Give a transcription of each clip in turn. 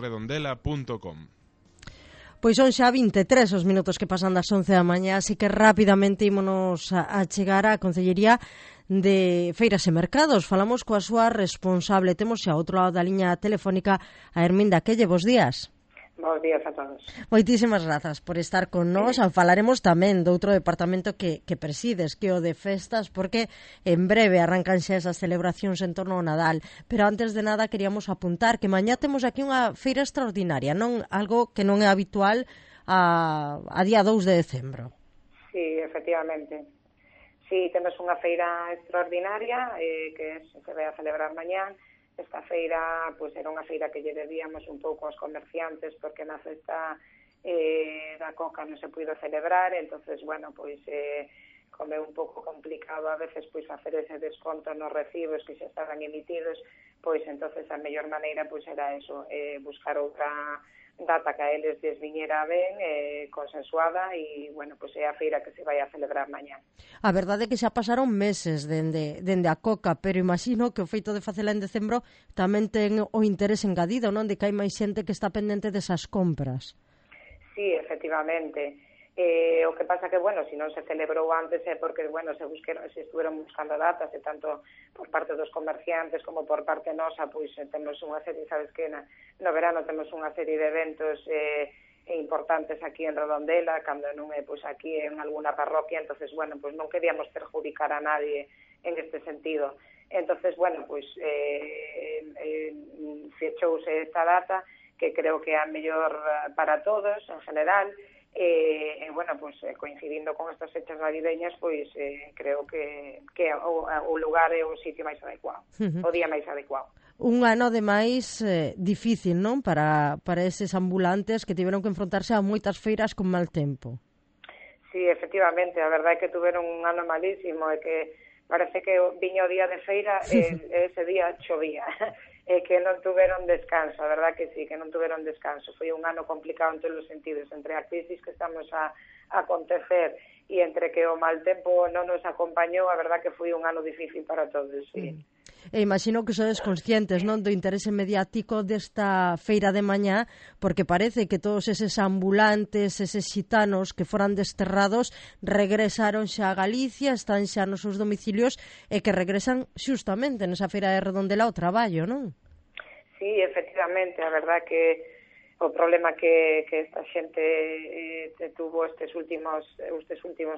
redondela.com. Pois son xa 23 os minutos que pasan das 11 da mañá, así que rapidamente ímonos a chegar á Concellería de Feiras e Mercados. Falamos coa súa responsable. Temos xa ao outro lado da liña telefónica a Herminda Quelle. Bos días. Bos días a todos. Moitísimas grazas por estar con nós. Falaremos tamén do outro departamento que presides, que é o de festas, porque en breve arrancan xa esas celebracións en torno ao Nadal. Pero antes de nada queríamos apuntar que mañá temos aquí unha feira extraordinaria, non algo que non é habitual a día 2 de decembro. Sí, efectivamente. Sí, temos unha feira extraordinaria que se vai a celebrar mañá. Esta feira, pois, era unha feira que lle debíamos un pouco aos comerciantes porque na festa da Coca non se puido celebrar, entonces, bueno, pois como é un pouco complicado a veces pois facer ese desconto nos recibos que xa estaban emitidos, pois entonces a mellor maneira pois era eso, buscar outra data que a eles lles viñera ben, consensuada, e, bueno, pois é a feira que se vai a celebrar mañá. A verdade é que xa pasaron meses dende a Coca, pero imagino que o feito de facela en decembro tamén ten o interés engadido, non? De que hai máis xente que está pendente desas compras. Sí, efectivamente. O que pasa que, bueno, se non se celebrou antes é porque, bueno, se estuveron buscando datas, e tanto por parte dos comerciantes como por parte nosa, pois temos unha serie, sabes que no verano temos unha serie de eventos importantes aquí en Redondela, cando non é pois aquí en alguna parroquia, entonces, bueno, pois non queríamos perjudicar a nadie en este sentido. Entonces, bueno, pois fechouse esta data, que creo que é a mellor para todos en general. Bueno, pues coincidindo con estas fechas navideñas, pois creo que o lugar é o sitio máis adecuado, o día máis adecuado. Un ano, ademais, difícil, non? Para eses ambulantes que tiveron que enfrontarse a moitas feiras con mal tempo. Sí, efectivamente, a verdade é que tuveron un ano malísimo, e que parece que viña o día de feira e ese día chovía. E que non tuveron descanso, a verdad que sí, que non tuveron descanso. Foi un ano complicado en todos os sentidos, entre a crisis que estamos a acontecer e entre que o mal tempo non nos acompañou, a verdad que foi un ano difícil para todos, sí. E imagino que sodes conscientes, non, do interese mediático desta feira de mañá, porque parece que todos eses ambulantes, eses xitanos que foran desterrados, regresaron xa a Galicia, están xa nos seus domicilios e que regresan xustamente nesa feira de Redondela ao traballo, non? Sí, efectivamente, a verdad que o problema que esta xente tuvo estes últimos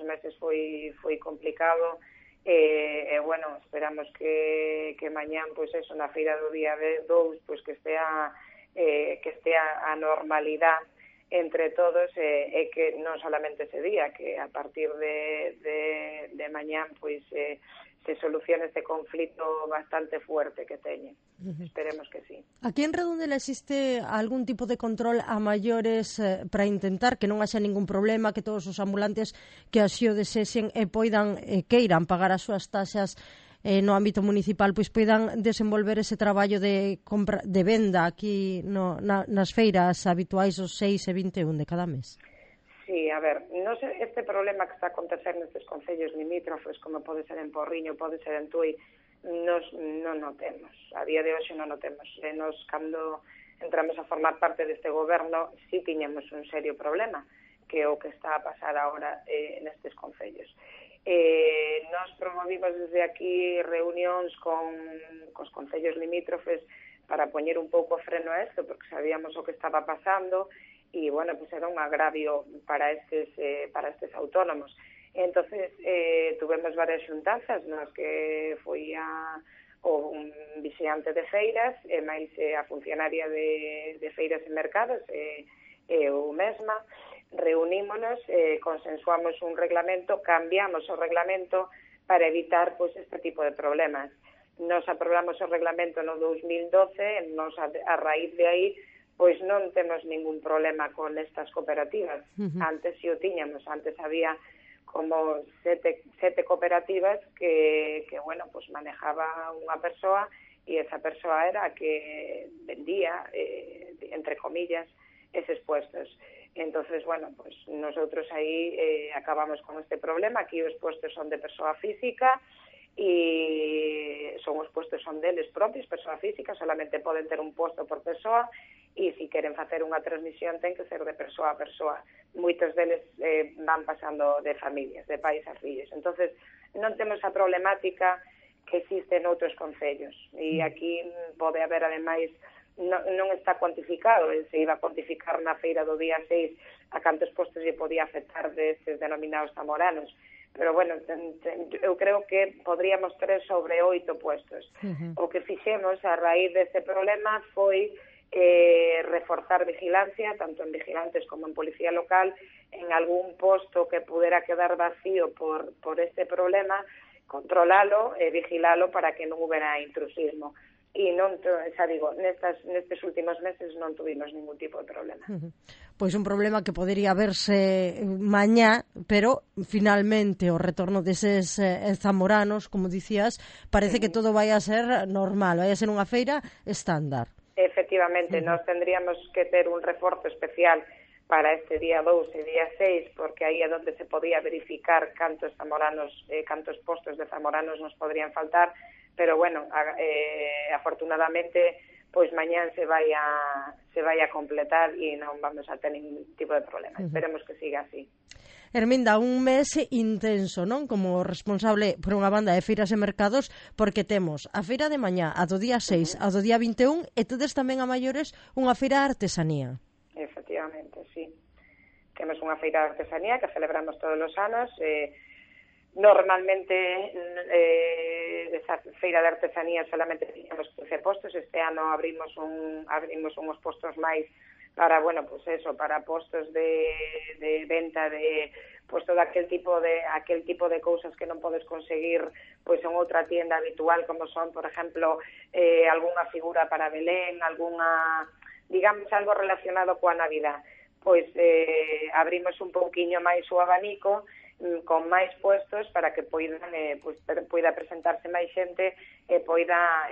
meses foi complicado. Bueno, esperamos que mañán, pois eso, na feira do día 2, pois que estea a normalidade entre todos, e que non solamente ese día, que a partir de mañán, pois se solucione este conflito bastante fuerte que teñen. Esperemos que sí. Aquí en Redondela existe algún tipo de control a maiores para intentar que non haxa ningún problema, que todos os ambulantes que así o desexen e poidan queiran pagar as súas taxas no ámbito municipal, pois poidan desenvolver ese traballo de compra, de venda aquí nas feiras habituais os 6 e 21 de cada mes? Sí, a ver, non sei, este problema que está a acontecer nestes concellos limítrofes, como pode ser en Porriño, pode ser en Tui, non o temos. A día de hoxe non o temos. Nos, cando entramos a formar parte deste goberno, sí tiñamos un serio problema, que é o que está a pasar agora nestes concellos. Nos promovimos desde aquí reunións cos concellos limítrofes para poñer un pouco freno a isto, porque sabíamos o que estaba pasando, e, bueno, pues era un agravio para estes autónomos. Entonces, tuvemos varias xuntanzas nas que foi o vixiante de feiras, e máis a funcionaria de feiras e mercados, eu mesma, reunímonos, consensuamos un reglamento, cambiamos o reglamento para evitar pois este tipo de problemas. Nos aprobamos o reglamento no 2012, nos a raíz de aí pois non temos ningún problema con estas cooperativas. Antes si o tiñamos, antes había como sete cooperativas que bueno, pues manejaba unha persoa, e esa persoa era a que vendía, entre comillas, eses puestos. Entonces, bueno, pues nosotros aí acabamos con este problema. Aquí os puestos son de persoa física, e os puestos son deles propios, persoa física, solamente poden ter un posto por persoa, e se queren facer unha transmisión ten que ser de persoa a persoa. Moitos deles van pasando de familias, de pais a fillos. Entonces non temos a problemática que existe noutros concellos, e aquí pode haber, ademais, non está cuantificado, se iba a cuantificar na feira do día 6 a cantos postos lle podía afectar destes denominados zamoranos, pero bueno, eu creo que podríamos ter sobre 8 puestos. O que fixemos a raíz deste problema foi reforzar vigilancia, tanto en vigilantes como en policía local, en algún posto que pudera quedar vacío por este problema, controlalo e vigilalo para que non houbera intrusismo. E non, xa digo, nestes últimos meses non tuvimos ningún tipo de problema. Pois un problema que podería verse mañá, pero finalmente o retorno deses zamoranos, como dicías, parece que todo vai a ser normal, vai a ser unha feira estándar. Efectivamente, nós tendríamos que ter un reforzo especial para este día 2 e día 6, porque aí é onde se podía verificar cantos zamoranos, cantos postos de zamoranos nos podrían faltar, pero bueno, afortunadamente, pois mañán se vai a completar e non vamos a ter ningún tipo de problema. Esperemos que siga así. Herminda, un mes intenso, non? Como responsable por unha banda de feiras e mercados, porque temos a feira de mañá, a do día 6, a do día 21, e tedes tamén a maiores unha feira de artesanía. Efectivamente, sí. Temos unha feira de artesanía que celebramos todos os anos. Normalmente esa feira de artesanía solamente teníamos 15 postos. Este ano abrimos uns postos máis para, bueno, pues eso, para postos de venta de pues todo aquel tipo de cousas que non podes conseguir pois en outra tienda habitual, como son, por exemplo, algunha figura para Belén, digamos, algo relacionado coa Navidad. Pois abrimos un pouquiño máis o abanico con máis puestos para que poida presentarse máis xente e poida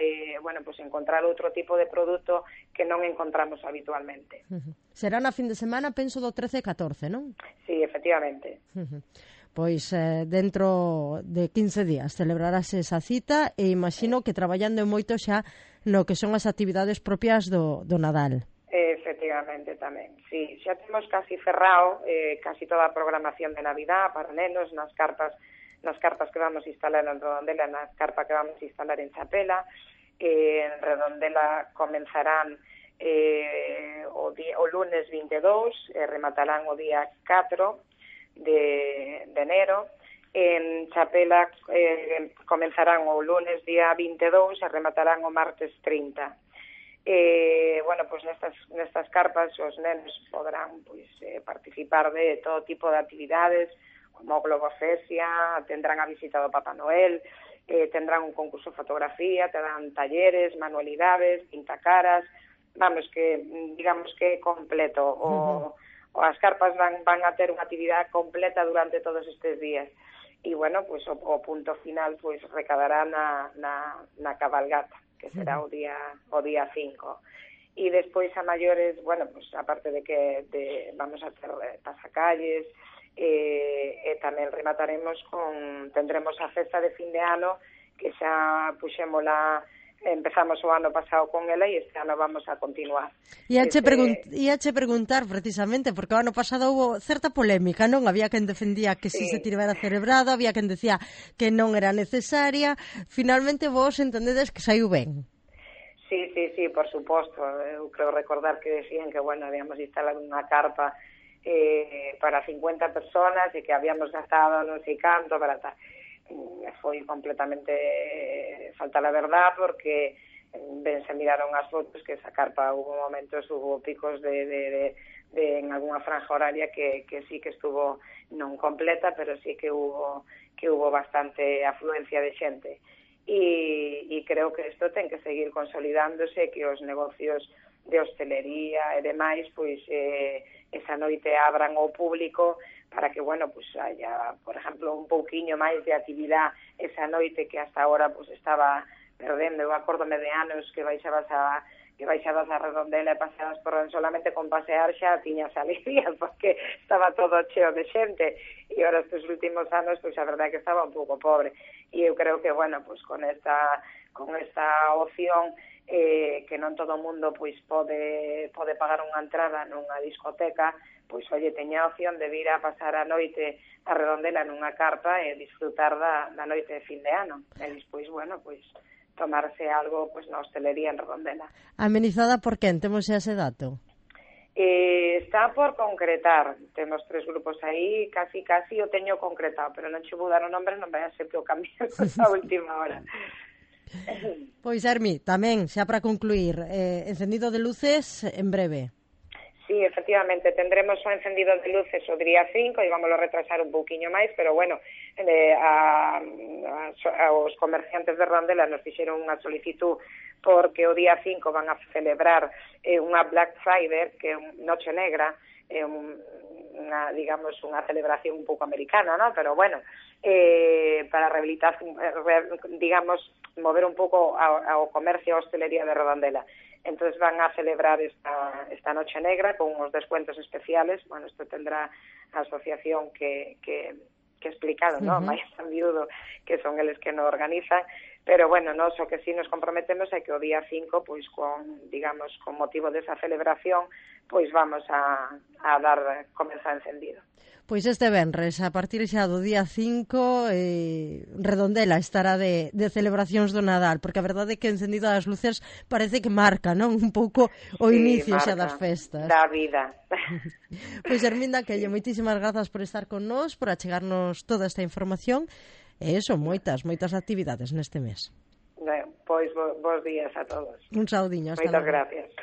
encontrar outro tipo de produto que non encontramos habitualmente. Será na fin de semana, penso, do 13 e 14, non? Sí, efectivamente. Pois dentro de 15 días celebrarase esa cita e imagino que traballando moito xa no que son as actividades propias do Nadal. Efectivamente, tamén. Sí, xa temos casi cerrado casi toda a programación de Navidad para nenos nas carpas que vamos a instalar en Redondela, nas carpas que vamos a instalar en Chapela. En Redondela comenzarán o lunes 22 e rematarán o día 4 de enero. En Chapela comenzarán o lunes día 22 e rematarán o martes 30. Pues nestas carpas os nenos poderán participar de todo tipo de actividades como globofesia, tendrán a visita do Papá Noel, tendrán un concurso de fotografía, tendrán talleres, manualidades, pintacaras, digamos que completo. As carpas van a ter unha actividade completa durante todos estes días. E, bueno, pues o punto final pues recadará na cabalgata, que será o día 5. E despois a maiores, bueno, pues aparte de que vamos a ter pasacalles, e tamén tendremos a festa de fin de ano, que xa empezamos o ano pasado con ela e este ano vamos a continuar. Iache preguntar precisamente, porque o ano pasado houve certa polémica, non? Había quen defendía que si se tivera celebrado, había quen decía que non era necesaria. Finalmente vos entendedes que saiu ben. Sí, por suposto. Eu creo recordar que decían que, bueno, habíamos instalado unha carpa para 50 personas e que habíamos gastado non sei canto para tal. Foi completamente falta la verdad, porque se miraron as fotos que esa carpa hubo picos de en algunha franja horaria que sí que estuvo non completa, pero sí que hubo bastante afluencia de xente. E creo que isto ten que seguir consolidándose, que os negocios de hostelería e demais pois esa noite abran ao público para que, bueno, pues haya, por exemplo, un pouquiño máis de actividade esa noite que hasta ahora pues estaba perdendo. Eu acórdome de anos que baixabas a Redondela e paseabas por solamente con pasear xa tiñas alegría porque estaba todo cheo de xente, e ahora estes últimos anos pues a verdade é que estaba un pouco pobre, e eu creo que, bueno, pues con esta opción que non todo o mundo pois pode pagar unha entrada nunha discoteca, pois, oye, teña a opción de vir a pasar a noite a Redondela nunha carpa e disfrutar da noite de fin de ano. E despois, bueno, pois, tomarse algo pois na hostelería en Redondela. Amenizada por quen? Temos ese dato? Está por concretar. Temos 3 grupos aí, casi o teño concretado, pero non che vou dar o nombre, non vai a ser que o cambiemos a última hora. Pois, Hermi, tamén, xa para concluir, encendido de luces en breve. Sí, efectivamente, tendremos o encendido de luces o día 5 e vámoslo retrasar un pouquiño máis, pero bueno, os comerciantes de Redondela nos fixeron unha solicitud porque o día 5 van a celebrar unha Black Friday, que é unha noche negra, digamos, unha celebración un pouco americana, ¿no? Pero bueno, para rehabilitar, digamos, mover un pouco ao comercio e a hostelería de Redondela. Entonces van a celebrar esta noche negra con unos descuentos especiales. Bueno, esto tendrá a asociación que explicado, ¿no? Máis San Viudo, que son eles que nos organizan, pero bueno, nós o que sí nos comprometemos é que o día 5, pois con motivo desa celebración, pois vamos a dar comeza encendido. Pois este venres, a partir xa do día 5, Redondela estará de celebracións do Nadal, porque a verdade é que encendido das luces parece que marca, non? Un pouco o inicio xa das festas. Da vida. Pois, Herminda Quelle, moitísimas grazas por estar con nós, por achegarnos toda esta información, e moitas actividades neste mes. Pois, bons días a todos. Un saudiño, hasta Moitas logo. gracias.